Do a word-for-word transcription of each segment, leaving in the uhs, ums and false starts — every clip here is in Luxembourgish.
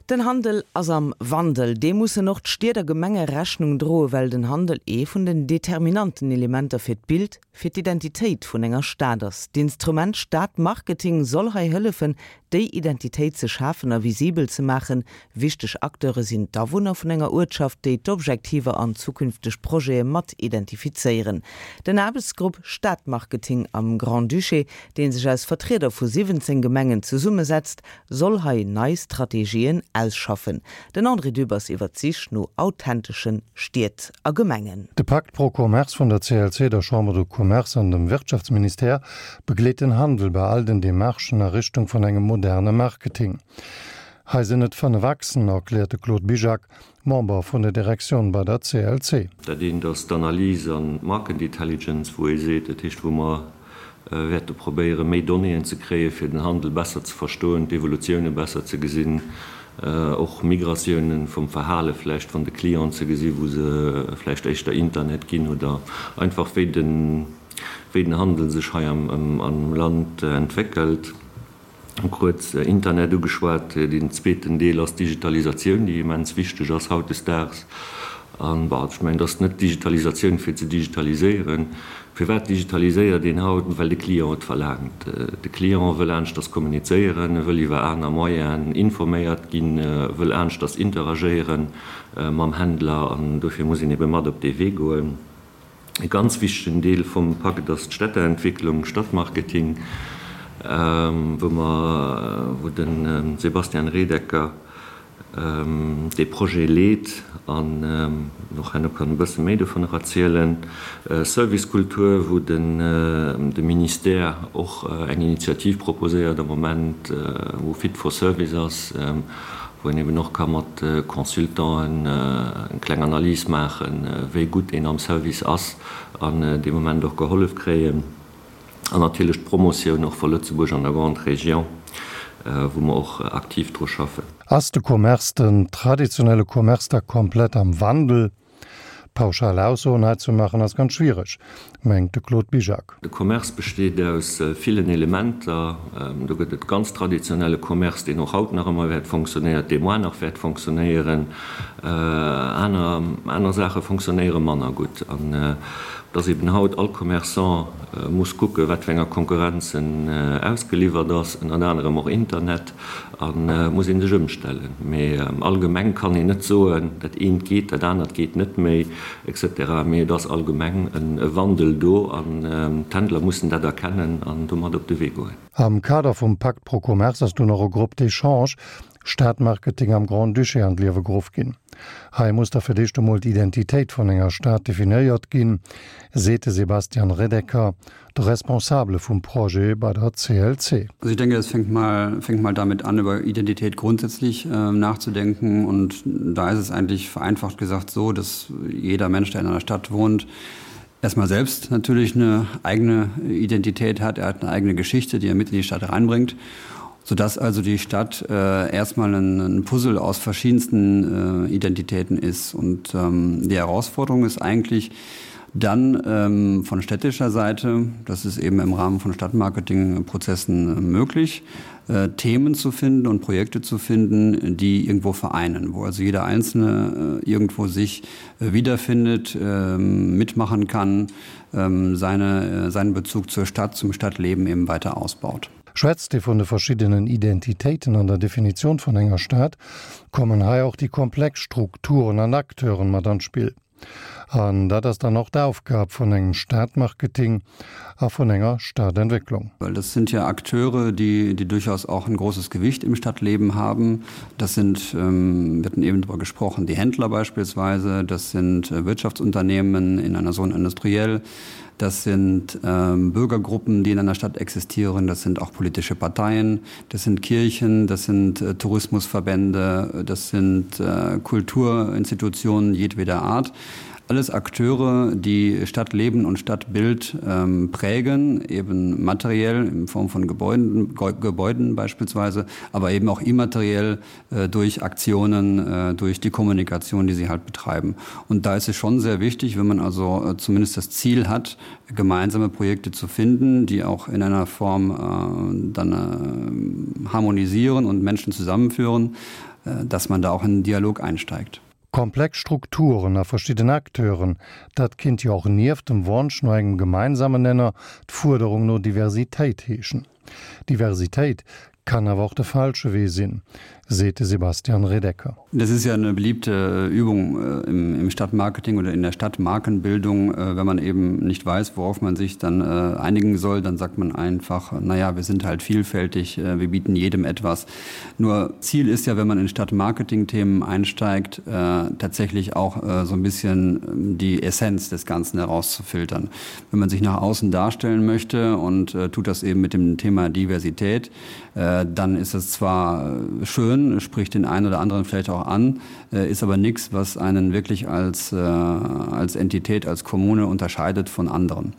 Den Handel ass am Wandel. Deem mussen och d'Stied a Gemenge Rechnung droen, well den Handel ee vun den determinanten Elementer fir d'Bild, fir d'Identitéit vun enger Stad ass. D'Instrument Stadmarketing soll hei hëllefen, déi Identitéit ze schafen a visibel ze maachen. Wichteg Acteure sinn d'Awunner vun enger Uertschaft, déi d'Objektiver an zukünfteg Projete mat identifizéieren. Den Aarbechtsgrupp Stadmarketing am Grand-Duché, dee sech aus Vertrieder vu siwwenzéng Gemengen zesummesetzt, soll hei nei Strategien ausschaffen. Den André Dübbers iwwer d'Sich no authentesche Stied a Gemengen. De Pakt pro Commerce vun der C L C, der Chambre de Commerce an dem Wirtschaftsministère begleet den Handel bei all den Demarchen a Richtung vun engem moderne Marketing. Hei sinn et fënnef Achsen, erkläert de Claude Bizjak, Member vun der Direktioun bei der C L C. Dat eent ass d'Analys an d'Market Intelligence, wou ee seet, dat heescht, wou mer wäerte probéiere méi Donnéeën ze kréie fir den Handel besser ze verstoen, d'Evolutioune besser ze gesinn, och Migratiounen vum Verhale vläicht vun de Clienten ze gesi wou se vläicht éischter Internet ginn oder einfach wéi den wéi den Handel sech hei am am Land entwéckelt. Kuerz Internet ugeschwat. Deen zweeten Deel ass d'Digitalisatioun, déi immens wichteg ass hautdesdaags. An, bon, ech mengen, et ass net d'Digitalisatioun fir ze digitaliséieren. Firwat digitaliséiert een haut? Well de Client et verlaangt. De Client wëll aneschters kommunizéieren, e wëll iwwer aner Moyenen informéiert ginn, e wëll aneschters interagéiere mam Händler an dofir muss een ebe mat op dee Wee goen. E ganz wichtegen Deel vum Pakt ass d'Städteentwicklung, Stadtmarketing, wou mer, wou de Sebastian Redecker dee Projet leet an och herno kann e bësse méi dovunner erzielen. Servicekultur, wou de Ministère och eng Initiativ proposéiert am Moment, wou Fit for Service ass, wou een eben och ka mat Consultanten eng kleng Analys maachen, wéi gutt een am Service ass an dee Moment och gehollef kréien. An natierlech d'Promotioun och vu Lëtzebuerg an der Grande Région, wou mer och aktiv dru schaffen. Ass de Commerce, den traditionelle Commerce da komplett am Wandel? Pauschal Aussoen hei ze maachen ass ganz schwiereg, mengt de Claude Bizjak. De Commerce besteet aus villen Elementer. Do gëtt et ganz traditionelle Commerce, deen och haut nach ëmmer wäert fonctionnéiert, dee moar nach wäert fonctionnéieren. Aner, aner Saache fonctionnéiere manner gutt. An dass eben haut all Commerçant muss kucken, wat fir enger Konkurrenz en ausgeliwwert ass, ënnert anerem och Internet, a muss ee sech ëmstellen. Mee allgemeng kann een net soen, dat eent geet, dat anert geet net méi, et cetera. Mee et ass allgemeng e Wandel do an d'Händler mussen dat erkennen an domat op de Wee goen. Am Kader vum Pakt pro Commerce ass dunn och e Groupe d'échange Stadmarketing am Grand-Duché an d'Liewe geruff ginn. Hei muss da fir d'éischt emol d'Identitéit vun enger Stad definéiert ginn, seet de Sebastian Redecker, de Responsabele vum Projet bei der C L C. Also ich denke, es fängt mal, fängt mal damit an, über Identität grundsätzlich äh, nachzudenken. Und da ist es eigentlich vereinfacht gesagt so, dass jeder Mensch, der in einer Stadt wohnt, erstmal selbst natürlich eine eigene Identität hat. Er hat eine eigene Geschichte, die er mit in die Stadt reinbringt, sodass also die Stadt äh, erstmal ein, ein Puzzle aus verschiedensten äh, Identitäten ist. Und ähm, die Herausforderung ist eigentlich dann ähm, von städtischer Seite, das ist eben im Rahmen von Stadtmarketingprozessen äh, möglich, äh, Themen zu finden und Projekte zu finden, die irgendwo vereinen, wo also jeder Einzelne äh, irgendwo sich äh, wiederfindet, äh, mitmachen kann, äh, seine, äh, seinen Bezug zur Stadt, zum Stadtleben eben weiter ausbaut. Schwätzt ee vun de verschiddenen Identitéiten an der Definitioun vun enger Stad, kommen hei och déi komplex Strukturen an Acteuren mat an d'Spill. An dat ass dann och d'Aufgab vun engem Stadmarketing a vun enger Stadentwécklung. Weil das sind ja Akteure, die, die durchaus auch ein großes Gewicht im Stadtleben haben. Das sind, ähm, wir hatten eben darüber gesprochen, die Händler beispielsweise, das sind äh, Wirtschaftsunternehmen in einer Zone industrielle, das sind ähm, Bürgergruppen, die in einer Stadt existieren, das sind auch politische Parteien, das sind Kirchen, das sind äh, Tourismusverbände, das sind äh, Kulturinstitutionen jedweder Art. Alles Akteure, die Stadtleben und Stadtbild ähm, prägen, eben materiell in Form von Gebäuden, Gebäuden beispielsweise, aber eben auch immateriell äh, durch Aktionen, äh, durch die Kommunikation, die sie halt betreiben. Und da ist es schon sehr wichtig, wenn man also äh, zumindest das Ziel hat, gemeinsame Projekte zu finden, die auch in einer Form äh, dann äh, harmonisieren und Menschen zusammenführen, dass man da auch in den Dialog einsteigt. Komplex Strukturen a verschidden Acteuren, dat kinnt jo och nieft dem Wonsch no engem gemeinsamen Nenner d'Fuerderung no Diversitéit heeschen. Diversitéit kann awer och de falsche Wee sinn, seet de Sebastian Redeker. Das ist ja eine beliebte Übung äh, im, im Stadtmarketing oder in der Stadtmarkenbildung. Äh, wenn man eben nicht weiß, worauf man sich dann äh, einigen soll, dann sagt man einfach, naja, wir sind halt vielfältig, wir bieten jedem etwas. Nur Ziel ist ja, wenn man in Stadtmarketing-Themen einsteigt, tatsächlich auch so ein bisschen ähm, die Essenz des Ganzen herauszufiltern. Wenn man sich nach außen darstellen möchte und tut das eben mit dem Thema Diversität, dann ist es zwar schön, spricht den einen oder anderen vielleicht auch an, ist aber nichts, was einen wirklich als, als Entität, als Kommune unterscheidet von anderen.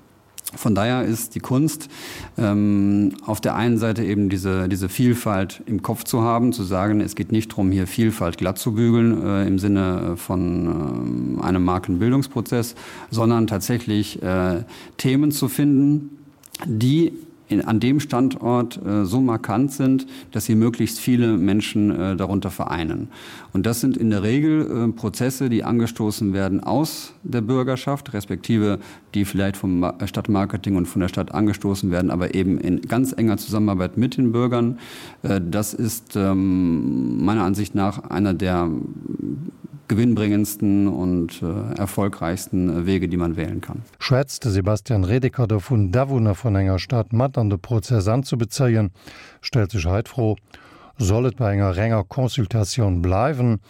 Von daher ist die Kunst ähm, auf der einen Seite eben diese, diese Vielfalt im Kopf zu haben, zu sagen, es geht nicht darum, hier Vielfalt glatt zu bügeln äh, im Sinne von äh, einem Markenbildungsprozess, sondern tatsächlich äh, Themen zu finden, die in, an dem Standort äh, so markant sind, dass sie möglichst viele Menschen äh, darunter vereinen. Und das sind in der Regel äh, Prozesse, die angestoßen werden aus der Bürgerschaft, respektive die vielleicht vom Stadtmarketing und von der Stadt angestoßen werden, aber eben in ganz enger Zusammenarbeit mit den Bürgern. Äh, das ist ähm, meiner Ansicht nach einer der gewinnbringendsten und äh, erfolgreichsten Wege, die man wählen kann. Schwätzt de Sebastian Redeker dovun, d'Awunner vun enger Stad mat an de Prozess anzubezéien, stellt sech hei d'Fro, Soll et bei enger renger Consultatioun bleiwen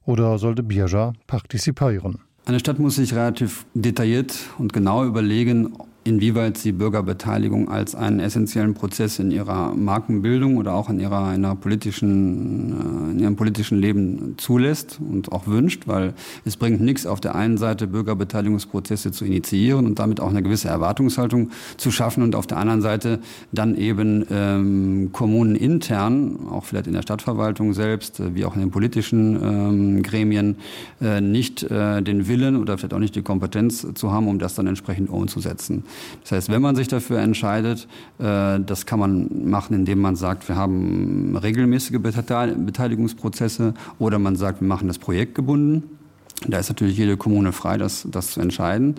oder soll de Bierger participéieren? Eine Stadt muss sich relativ detailliert und genau überlegen, inwieweit sie Bürgerbeteiligung als einen essentiellen Prozess in ihrer Markenbildung oder auch in ihrer einer politischen, in ihrem politischen Leben zulässt und auch wünscht, weil es bringt nichts auf der einen Seite Bürgerbeteiligungsprozesse zu initiieren und damit auch eine gewisse Erwartungshaltung zu schaffen und auf der anderen Seite dann eben ähm, Kommunen intern, auch vielleicht in der Stadtverwaltung selbst, wie auch in den politischen ähm, Gremien, äh, nicht äh, den Willen oder vielleicht auch nicht die Kompetenz zu haben, um das dann entsprechend umzusetzen. Das heißt, wenn man sich dafür entscheidet, äh, das kann man machen, indem man sagt, wir haben regelmäßige Beteiligungsprozesse oder man sagt, wir machen das projektgebunden. Da ist natürlich jede Kommune frei, das, das zu entscheiden.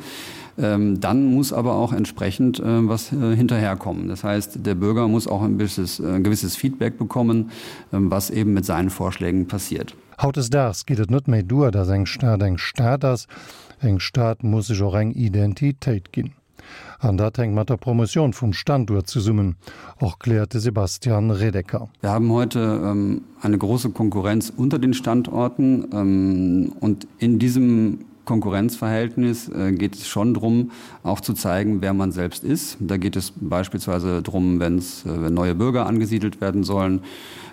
Ähm, dann muss aber auch entsprechend äh, was äh, hinterherkommen. Das heißt, der Bürger muss auch ein, gewisses, ein gewisses Feedback bekommen, äh, was eben mit seinen Vorschlägen passiert. Hautdesdaags geet et net méi duer, datt eng Stad eng Stad ass, eng Stad muss sech och eng Identitéit ginn. An dat hänkt mat der Promotioun vum Standuert zesummen, erkläert de Sebastian Redeker. Wir haben heute ähm, eine große Konkurrenz unter den Standorten ähm, und in diesem Konkurrenzverhältnis äh, geht es schon darum, auch zu zeigen, wer man selbst ist. Da geht es beispielsweise darum, wenn's, äh, wenn neue Bürger angesiedelt werden sollen.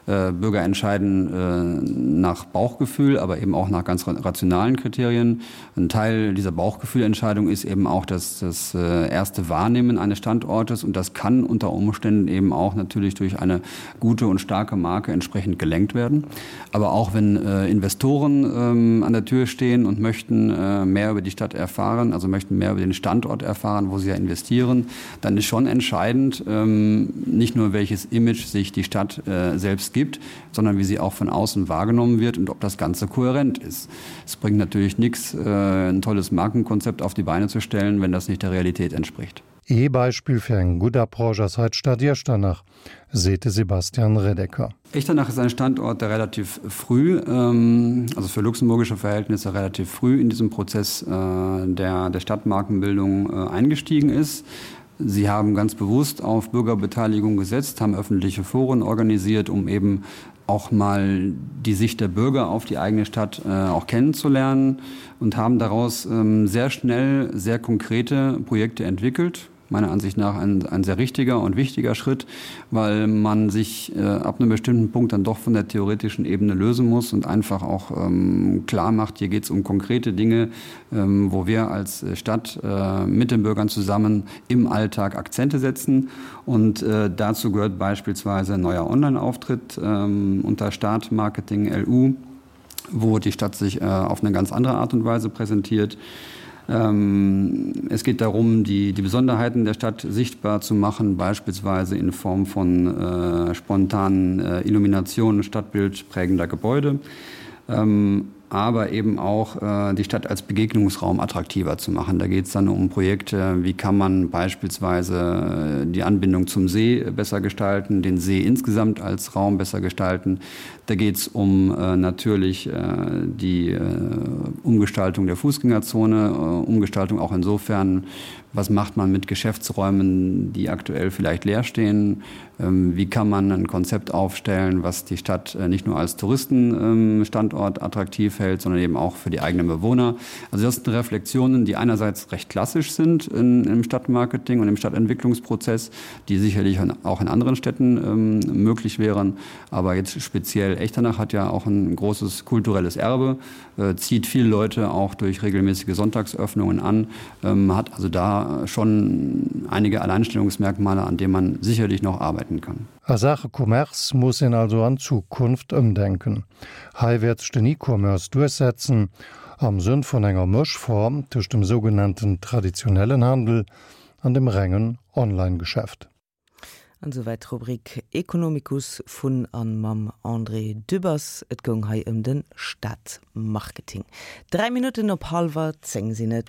Äh, Bürger entscheiden äh, nach Bauchgefühl, aber eben auch nach ganz rationalen Kriterien. Ein Teil dieser Bauchgefühlentscheidung ist eben auch das, das äh, erste Wahrnehmen eines Standortes und das kann unter Umständen eben auch natürlich durch eine gute und starke Marke entsprechend gelenkt werden. Aber auch wenn äh, Investoren ähm, an der Tür stehen und möchten äh, mehr über die Stadt erfahren, also möchten mehr über den Standort erfahren, wo sie ja investieren, dann ist schon entscheidend, ähm, nicht nur welches Image sich die Stadt äh, selbst gibt, sondern wie sie auch von außen wahrgenommen wird und ob das Ganze kohärent ist. Es bringt natürlich nichts, äh, ein tolles Markenkonzept auf die Beine zu stellen, wenn das nicht der Realität entspricht. Ee Beispill fir eng gutt Approche ass hei d'Stad Iechternach, seet de Sebastian Redeker. Echternach ist ein Standort, der relativ früh, ähm, also für luxemburgische Verhältnisse relativ früh in diesem Prozess äh, der, der Stadtmarkenbildung äh, eingestiegen ist. Sie haben ganz bewusst auf Bürgerbeteiligung gesetzt, haben öffentliche Foren organisiert, um eben auch mal die Sicht der Bürger auf die eigene Stadt äh, auch kennenzulernen und haben daraus ähm, sehr schnell sehr konkrete Projekte entwickelt meiner Ansicht nach ein, ein sehr richtiger und wichtiger Schritt, weil man sich äh, ab einem bestimmten Punkt dann doch von der theoretischen Ebene lösen muss und einfach auch ähm, klar macht, hier geht es um konkrete Dinge, ähm, wo wir als Stadt äh, mit den Bürgern zusammen im Alltag Akzente setzen. Und äh, dazu gehört beispielsweise ein neuer Online-Auftritt ähm, unter Startmarketing L U, wo die Stadt sich äh, auf eine ganz andere Art und Weise präsentiert. Ähm, es geht darum, die, die Besonderheiten der Stadt sichtbar zu machen, beispielsweise in Form von äh, spontanen äh, Illuminationen stadtbildprägender Gebäude. Ähm, aber eben auch äh, die Stadt als Begegnungsraum attraktiver zu machen. Da geht es dann um Projekte, wie kann man beispielsweise äh, die Anbindung zum See besser gestalten, den See insgesamt als Raum besser gestalten. Da geht es um äh, natürlich äh, die äh, Umgestaltung der Fußgängerzone, äh, Umgestaltung auch insofern, was macht man mit Geschäftsräumen, die aktuell vielleicht leer stehen? Ähm, wie kann man ein Konzept aufstellen, was die Stadt äh, nicht nur als Touristenstandort ähm, attraktiv hält, sondern eben auch für die eigenen Bewohner? Also das sind Reflexionen, die einerseits recht klassisch sind in, im Stadtmarketing und im Stadtentwicklungsprozess, die sicherlich auch in anderen Städten ähm, möglich wären. Aber jetzt speziell Echternach hat ja auch ein großes kulturelles Erbe, äh, zieht viele Leute auch durch regelmäßige Sonntagsöffnungen an, ähm, hat also da schon einige Alleinstellungsmerkmale, an denen man sicherlich noch arbeiten kann. A Saache Commerce muss een also an Zukunft ëmdenken. Hei wäert sech den E-Commerce duerchsetzen, am Sënn vun enger Mëschform tëscht dem sougenannten traditionellen Handel an dem rengen Online-Geschäft. An souwäit d'Rubrik Economicus vun an mam André Dübbers. Et goung hei ëm de Stadmarketing. Dräi Minutten op hallwer zéng sinn et.